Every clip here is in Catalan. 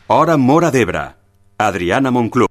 Hora Móra d'Ebre. Adriana Monclús.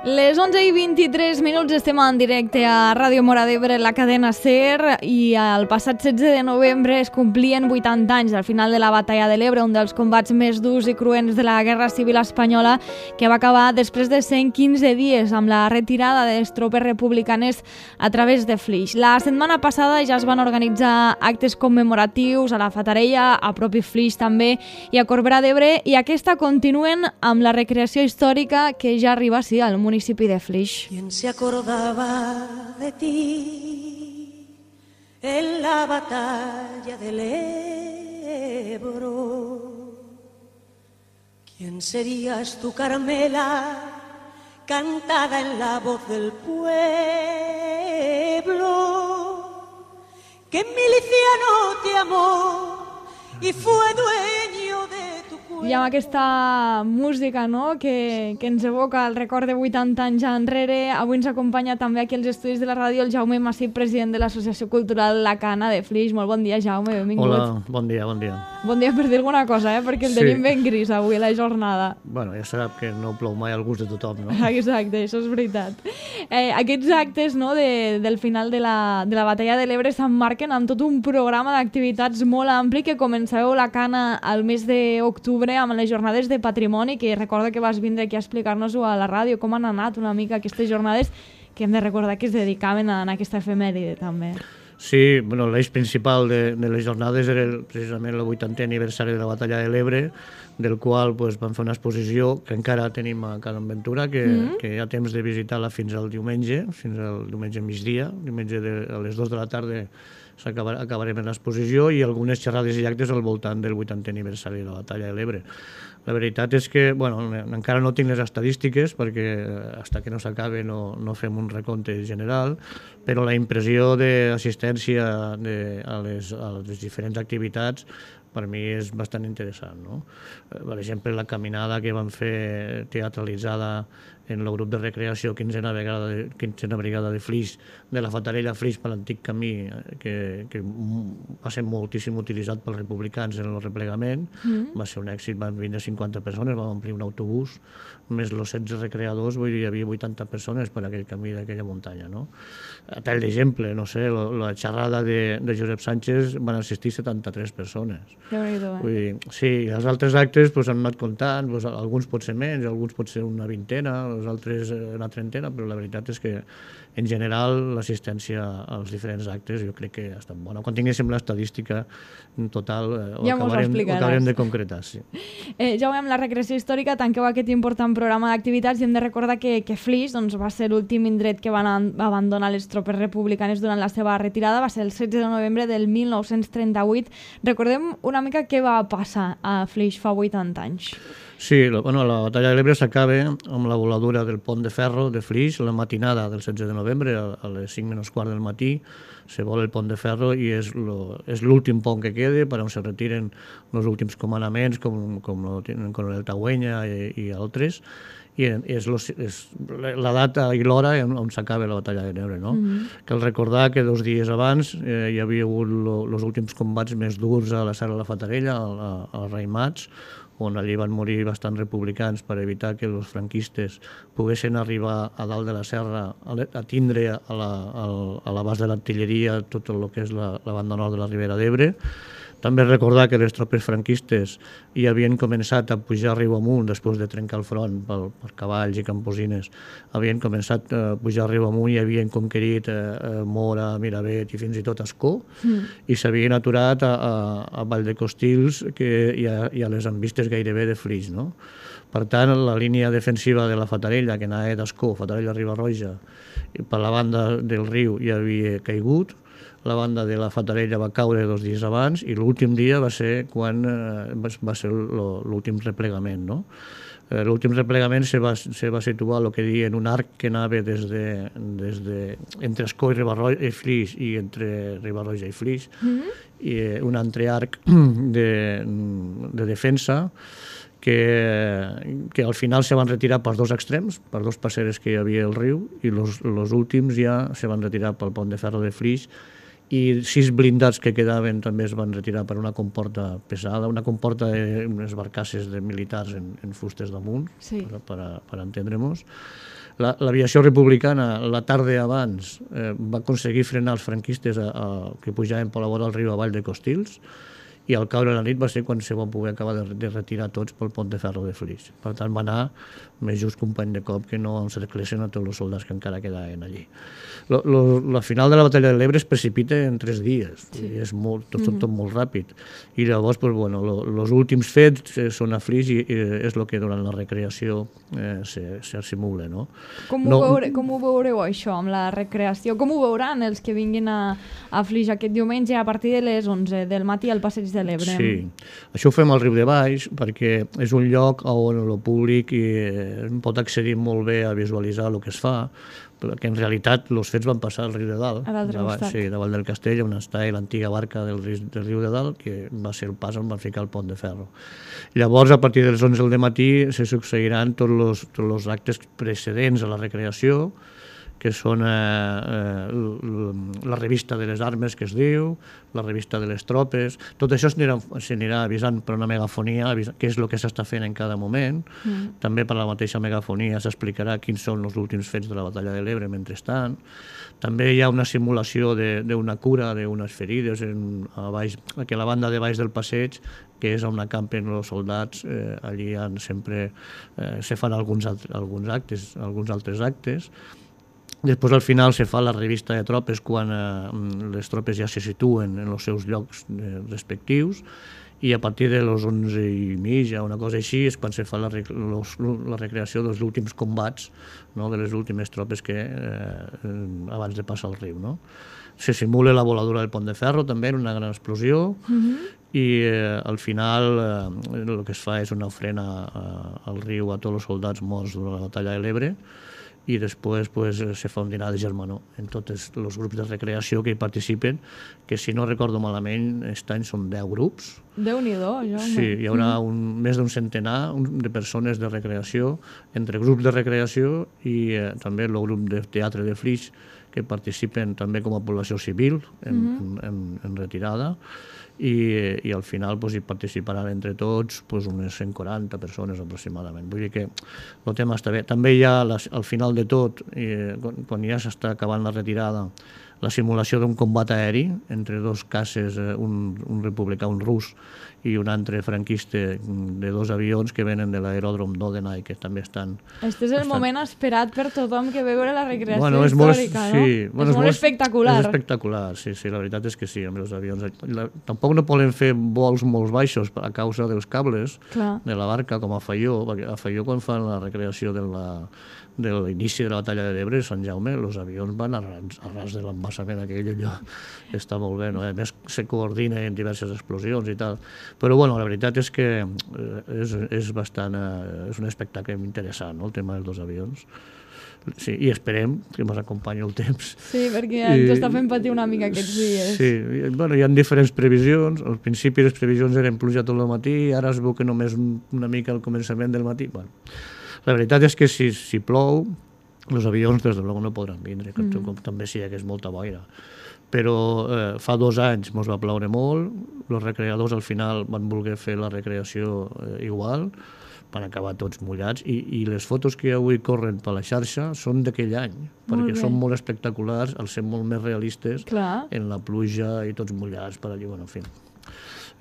Les 11:23 estem en directe a Ràdio Móra d'Ebre, la cadena SER, i el passat 16 de novembre es complien 80 anys al final de la Batalla de l'Ebre, un dels combats més durs i cruents de la Guerra Civil Espanyola, que va acabar després de 115 dies amb la retirada de les tropes republicanes a través de Flix. La setmana passada ja es van organitzar actes commemoratius a la Fatarella, a propi Flix també, i a Corbera d'Ebre, i aquesta continuen amb la recreació històrica que ja arriba, sí, al municipi de Flix. ¿Quién se acordaba de ti en la batalla del Ebro? ¿Quién serías tú, Carmela, cantada en la voz del pueblo? Que miliciano te amó y fue dueño de tu cuerpo. I amb aquesta música, no?, que ens evoca el record de 80 anys enrere, avui ens acompanya també aquí als estudis de la ràdio el Jaume Massip, president de l'Associació Cultural La Cana de Flix. Molt bon dia, Jaume, benvingut. Hola, bon dia, bon dia. Bon dia per dir alguna cosa, perquè el tenim ben gris avui a la jornada. Bueno, ja sap que no plou mai al gust de tothom, no? Exacte, això és veritat. Aquests actes, no, del final de la Batalla de l'Ebre s'emmarquen amb tot un programa d'activitats molt ampli que començareu La Cana al mes d'octubre amb les jornades de patrimoni, que recordo que vas vindre aquí a explicar-nos-ho a la ràdio, com han anat una mica aquestes jornades, que hem de recordar que es dedicaven a aquesta efemèride també. Sí, bueno, l'eix principal de les jornades era precisament el 80è aniversari de la Batalla de l'Ebre, del qual pues, vam fer una exposició que encara tenim a Can Ventura, que hi ha temps de visitar-la fins al diumenge migdia, diumenge a les 2 de la tarda acabarem l'exposició, i algunes xerrades i actes al voltant del 80è aniversari de la Batalla de l'Ebre. La veritat és que, bueno, encara no tinc les estadístiques perquè fins que no s'acabe no fem un recompte general, però la impressió d'assistència a les diferents activitats per mi és bastant interessant, no? Per exemple, la caminada que vam fer teatralitzada en el grup de recreació 15a Brigada de Flix, de la Fatarella a Flix per l'antic camí, que va ser moltíssim utilitzat pels republicans en el replegament. Va ser un èxit, van vindre 50 persones, vam omplir un autobús, més els 16 recreadors, vull dir, hi havia 80 persones per aquell camí d'aquella muntanya, no? A tall d'exemple, no sé, la xerrada de Josep Sánchez van assistir 73 persones. Vull dir, sí, els altres actes han anat comptant, alguns pot ser menys, alguns pot ser una vintena, els altres una trentena, però la veritat és que en general l'assistència als diferents actes jo crec que ha estat bona. Quan tinguéssim l'estadística total ho acabarem de concretar. Sí. Jaume, amb la recreació històrica tanqueu aquest important programa d'activitats i hem de recordar que Flix va ser l'últim indret que van abandonar les tropes republicanes durant la seva retirada, va ser el 16 de novembre del 1938. Recordem una mica què va passar a Flix fa 80 anys. Sí, la Batalla de l'Ebre s'acaba amb la voladura del pont de ferro de Flix, la matinada del 16 de novembre, a les 5 menys quart del matí, se vola el pont de ferro i és l'últim pont que queda per on se retiren els últims comandaments, com el coronel Tagüenya i altres, i és la data i l'hora on s'acaba la Batalla de l'Ebre, no? Cal recordar que 2 dies abans hi havia hagut els últims combats més durs a la Serra de la Fatarella, als Raimats, on allí van morir bastants republicans per evitar que els franquistes poguessin arribar a dalt de la serra a tindre a l'abast de l'artilleria tot el que és la banda nord de la Ribera d'Ebre. També recordar que les tropes franquistes hi havien començat a pujar riu amunt després de trencar el front per cavalls i camposines. Havien començat a pujar riu amunt i havien conquerit Mora, Miravet i fins i tot Ascó, i s'havien aturat a Vall de Costils i a les envistes gairebé de Flix, no? Per tant, la línia defensiva de la Fatarella, que anava d'Ascó, Fatarella-Riba-roja, per la banda del riu hi havia caigut. La banda de la Fatarella va caure 2 dies abans i l'últim dia va ser quan va ser l'últim replegament, no? L'últim replegament se va situar el que diuen un arc que anava entre Escó i Flix i entre Riba-roja i Flix, i un altre arc de defensa que al final se van retirar pels dos extrems, per dos passeres que hi havia al riu, i els últims ja se van retirar pel pont de ferro de Flix, i 6 blindats que quedaven també es van retirar per una comporta pesada, una comporta d'unes barcasses de militars en fustes damunt, sí, per entendre-nos. L'aviació republicana, la tarda abans, va aconseguir frenar els franquistes que pujaven per la vora del riu avall de Costils, i al caure la nit va ser quan se van poder acabar de retirar tots pel pont de ferro de Flix. Per tant, va anar més just company de cop que no encerclessin a tots els soldats que encara quedaven allí. La final de la batalla de l'Ebre es precipita en 3 dies, sí, i és tot molt ràpid. I llavors, els últims fets són a Flix i és el que durant la recreació se simula. No? Com ho veureu això amb la recreació? Com ho veuran els que vinguin a Flix aquest diumenge a partir de les 11 del matí al passeig de l'Ebre? Sí, això ho fem al riu de Baix perquè és un lloc on el públic pot accedir molt bé a visualitzar el que es fa, perquè en realitat els fets van passar al riu de Dalt, davant del castell, on està l'antiga barca del riu de Dalt, que va ser el pas on van ficar el pont de ferro. Llavors, a partir dels 11 del matí, se succeiran tots els actes precedents a la recreació, que són la revista de les armes, que es diu, la revista de les tropes. Tot això s'anirà avisant per una megafonia, què és el que s'està fent en cada moment. També per la mateixa megafonia s'explicarà quins són els últims fets de la batalla de l'Ebre mentrestant. També hi ha una simulació d'una cura d'unes ferides a la banda de baix del passeig, que és on acampen els soldats. Allí sempre se fan alguns altres actes. Després, al final, se fa la revista de tropes quan les tropes ja se situen en els seus llocs respectius, i a partir de les 11:30, una cosa així, és quan se fa la recreació dels últims combats, de les últimes tropes abans de passar el riu. Se simula la voladura del pont de ferro, també, en una gran explosió, i al final el que es fa és una ofrena al riu a tots els soldats morts durant la batalla de l'Ebre, i després se fa un dinar de germanor en tots els grups de recreació que hi participen, que si no recordo malament, aquest any són 10 grups. Déu-n'hi-do, Jaume. Sí, hi haurà més d'un centenar de persones de recreació, entre grups de recreació i també el grup de teatre de Flix, que participen també com a població civil en retirada, i al final hi participaran entre tots unes 140 persones aproximadament. Vull dir que el tema està bé. També hi ha, al final de tot, quan ja s'està acabant la retirada, la simulació d'un combat aeri entre dos caces, un republicà, un rus, i un altre franquista, de 2 avions que venen de l'aeròdrom d'Odenay, que també estan... Aquest és el moment esperat per tothom que ve veure la recreació històrica, no? Sí, és molt espectacular. És espectacular, sí, la veritat és que sí, amb els avions. Tampoc no poden fer vols molt baixos a causa dels cables de la barca, com a Faió, perquè a Faió, quan fan la recreació de l'inici de la batalla de l'Ebre, Sant Jaume, els avions van a ras de l'embassament aquell, allò està molt bé, no? A més se coordina en diverses explosions i tal, però bueno, la veritat és que és un espectacle interessant, no? El tema dels 2 avions. Sí, i esperem que ens acompanyi el temps. Sí, perquè ens està fent patir una mica aquests dies. Sí, bueno, hi ha diferents previsions. Al principi les previsions eren pluja tot el matí, ara es veu que només una mica al començament del matí. Bueno, la veritat és que si plou, els avions des de luego no podran vindre, com també si hi hagués molta boira. Però fa 2 anys ens va ploure molt, els recreadors al final van voler fer la recreació igual, van acabar tots mullats, i les fotos que avui corren per la xarxa són d'aquell any, perquè són molt espectaculars, al ser molt més realistes en la pluja i tots mullats per allà, bueno, en fi.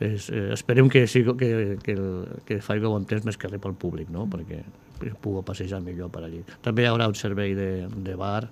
Esperem que faci bon temps més que res pel públic, no? Perquè pugui passejar millor per allí. També hi haurà un servei de bar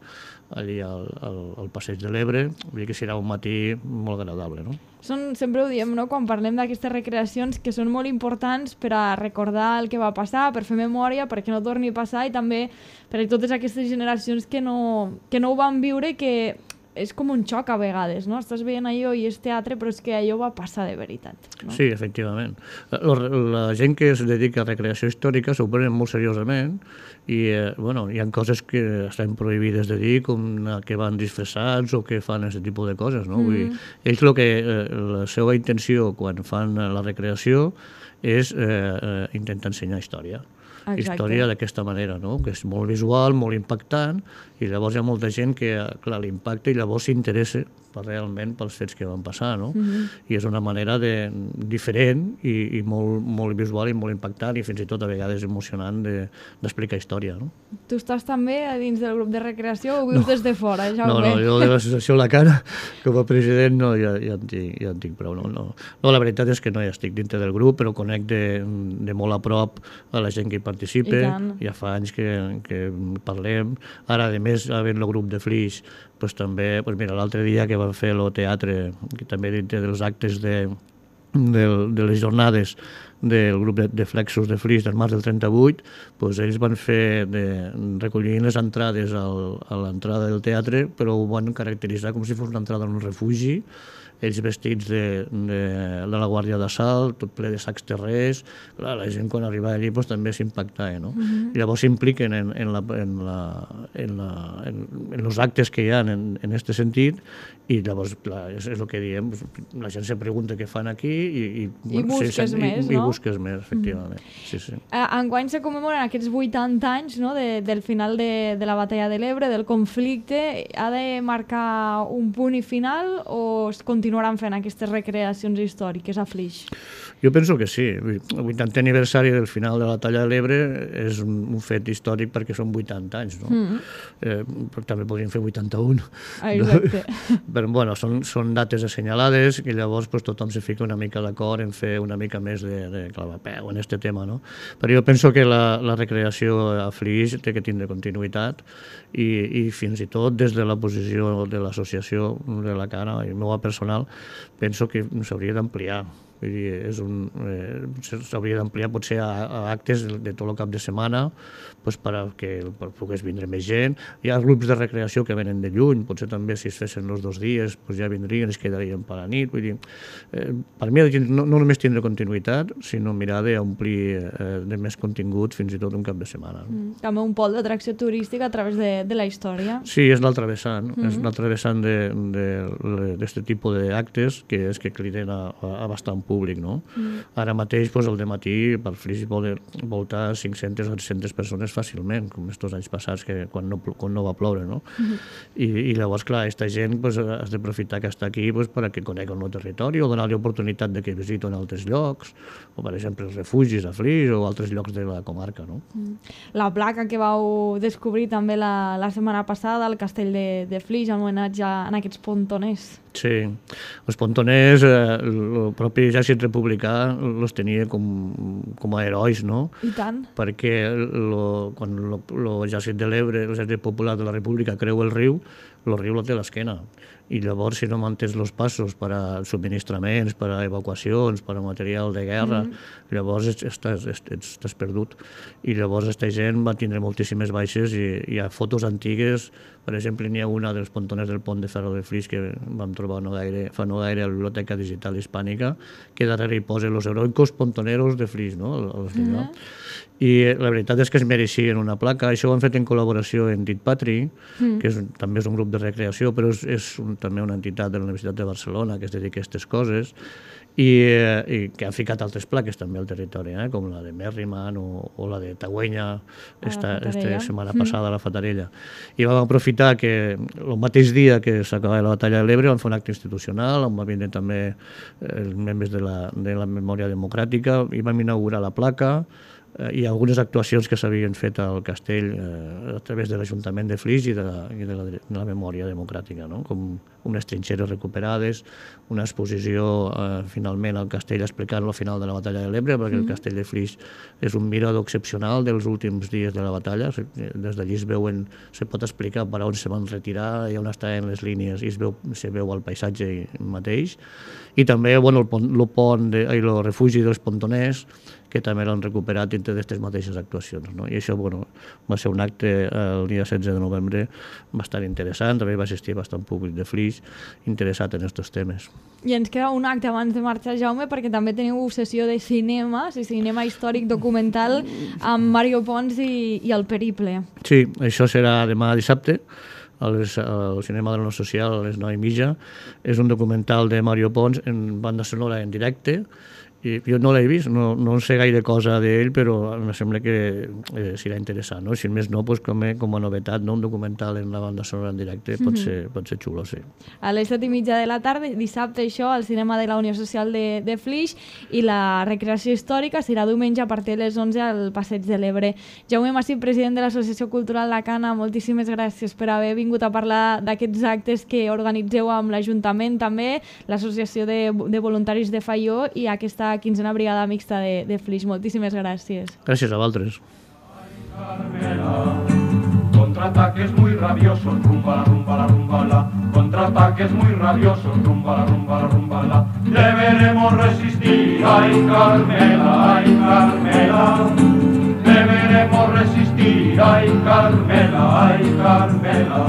allí al passeig de l'Ebre, vull dir que serà un matí molt agradable, no? Sempre ho diem, no?, quan parlem d'aquestes recreacions, que són molt importants per a recordar el que va passar, per fer memòria, perquè no torni a passar, i també per a totes aquestes generacions que no ho van viure, que és com un xoc a vegades, no? Estàs veient allò i és teatre, però és que allò va passar de veritat. No? Sí, efectivament. La gent que es dedica a recreació històrica s'ho prenen molt seriosament i hi ha coses que estan prohibides de dir, com que van disfressats o que fan aquest tipus de coses. No? Vull dir, ells la seva intenció quan fan la recreació és intentar ensenyar història. Exacte. Història d'aquesta manera, no? Que és molt visual, molt impactant, i llavors hi ha molta gent que, clar, l'impacta i llavors s'interessa realment pels fets que van passar, no? I és una manera diferent i molt visual i molt impactant i fins i tot a vegades emocionant d'explicar història, no? Tu estàs també a dins del grup de recreació o vius des de fora, Jaume? No, jo de l'associació La Cara, com a president, ja en tinc prou. No, la veritat és que no hi estic dintre del grup, però conec de molt a prop a la gent que hi participa, ja fa anys que parlem. Ara, a més, havent el grup de Flix, també, mira, l'altre dia que van fer el teatre, que també dintre dels actes de les jornades del grup de Flexos de Flix del març del 38, ells van fer recollint les entrades a l'entrada del teatre, però ho van caracteritzar com si fos una entrada en un refugi, ells vestits de la Guàrdia d'Assalt, tot ple de sacs terrers. Clar, la gent quan arribava allí també s'impactava, no? I llavors s'impliquen en els actes que hi ha en aquest sentit i llavors, clar, és el que diem, la gent se pregunta què fan aquí i busques més, no? I busques més, efectivament. Sí. Enguany se commemoren aquests 80 anys, no?, del final de la batalla de l'Ebre, del conflicte. Ha de marcar un punt i final o es continuaran fent aquestes recreacions històriques a Flix? Jo penso que sí. El 80è aniversari del final de la batalla de l'Ebre és un fet històric perquè són 80 anys, no? Però també podríem fer 81. Exacte. Però, bueno, són dates assenyalades i llavors tothom se fica una mica d'acord en fer una mica més de clavapeu en aquest tema, no? Però jo penso que la recreació a Flix té que tindre continuïtat i fins i tot des de la posició de l'associació de La Cara i meva personal penso que s'hauria d'ampliar. S'hauria d'ampliar potser a actes de tot el cap de setmana perquè pogués vindre més gent. Hi ha grups de recreació que venen de lluny, potser també si es fessin els 2 dies ja vindrien, es quedarien per la nit. Vull dir, per mi no només tindre continuïtat, sinó mirar d'omplir de més contingut fins i tot un cap de setmana. També un pol d'atracció turística a través de la història. Sí, és l'altre vessant. És l'altre vessant d'aquest tipus d'actes que és que criden a bastant públic, no? Ara mateix, al dematí, per Flix poden voltar 500 o 700 persones fàcilment, com estos anys passats, quan no va ploure, no? I llavors, clar, aquesta gent has d'aprofitar que està aquí perquè conegui el nou territori o donar-li oportunitat que visiten altres llocs, o per exemple els refugis a Flix o altres llocs de la comarca, no? La placa que vau descobrir també la setmana passada al castell de Flix, en homenatge a aquests pontoners. Sí, els pontoners, el propi exèrcit republicà els tenia com a herois, no? I tant. Perquè quan l'exèrcit de l'Ebre, l'exèrcit popular de la República creu el riu la té a l'esquena. I llavors, si no mantens els passos per a subministraments, per a evacuacions, per a material de guerra, llavors estàs perdut. I llavors aquesta gent va tindre moltíssimes baixes i hi ha fotos antigues. Per exemple, n'hi ha una dels pontoners del pont de Ferro de Flix que vam trobar fa no gaire a la Biblioteca Digital Hispànica, que darrere hi posa los heroicos pontoneros de Flix, no? I la veritat és que es mereixien una placa. Això ho han fet en col·laboració amb Dit Patri, que també és un grup de recreació, però és també una entitat de la Universitat de Barcelona que es dedica a aquestes coses i que han ficat altres plaques també al territori, com la de Merriman o la de Tagüenya esta setmana passada a la Fatarella. I vam aprofitar que el mateix dia que s'acabava la batalla de l'Ebre vam fer un acte institucional on va vindre també els membres de la memòria democràtica i vam inaugurar la placa i algunes actuacions que s'havien fet al castell a través de l'Ajuntament de Flix i de la memòria democràtica, no? Com unes trinxeres recuperades, una exposició finalment al castell explicant el final de la batalla de l'Ebre, perquè el castell de Flix és un mirador excepcional dels últims dies de la batalla. Des d'allí se pot explicar per on se van retirar i on estaven les línies, i se veu el paisatge mateix. I també el refugi dels pontoners, que també l'han recuperat dintre d'aquestes mateixes actuacions. I això va ser un acte el dia 16 de novembre bastant interessant, també va assistir bastant públic de Flix interessat en aquests temes. I ens queda un acte abans de marxar, Jaume, perquè també teniu sessió de cinema històric documental amb Mario Pons i el Periple. Sí, això serà demà dissabte, al Cinema de la Unió Social a les 9:30. És un documental de Mario Pons en banda sonora en directe. I jo no l'he vist, no en sé gaire cosa d'ell, però em sembla que serà interessant, no? Si més no, com a novetat, un documental en la banda sonora en directe pot ser xulo, sí. A les 7:30 de la tarda, dissabte, això, al Cinema de la Unió Social de Flix, i la recreació històrica serà diumenge a partir de les 11 al Passeig de l'Ebre. Jaume Massip, president de l'Associació Cultural La Cana, moltíssimes gràcies per haver vingut a parlar d'aquests actes que organitzeu amb l'Ajuntament, també l'Associació de Voluntaris de Faió i aquesta quinzena brigada mixta de Flix. Moltíssimes gràcies. Gràcies a vosaltres. Contraataques muy rabiosos, rumba la rumba la rumba la. Contraataques muy rabiosos, rumba la rumba la rumba la. Deberemos resistir, ay Carmela, ay Carmela. Deberemos resistir, ay Carmela, ay Carmela.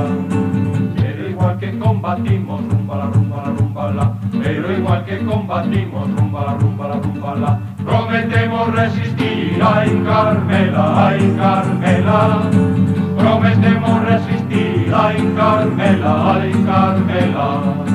Pero igual que combatimos, rumba la rumba la rumba la. Pero igual que combatimos, rumba la rumba la rumba la. Prometemos resistir, ay Carmela, ay Carmela. Prometemos resistir, ay Carmela, ay Carmela.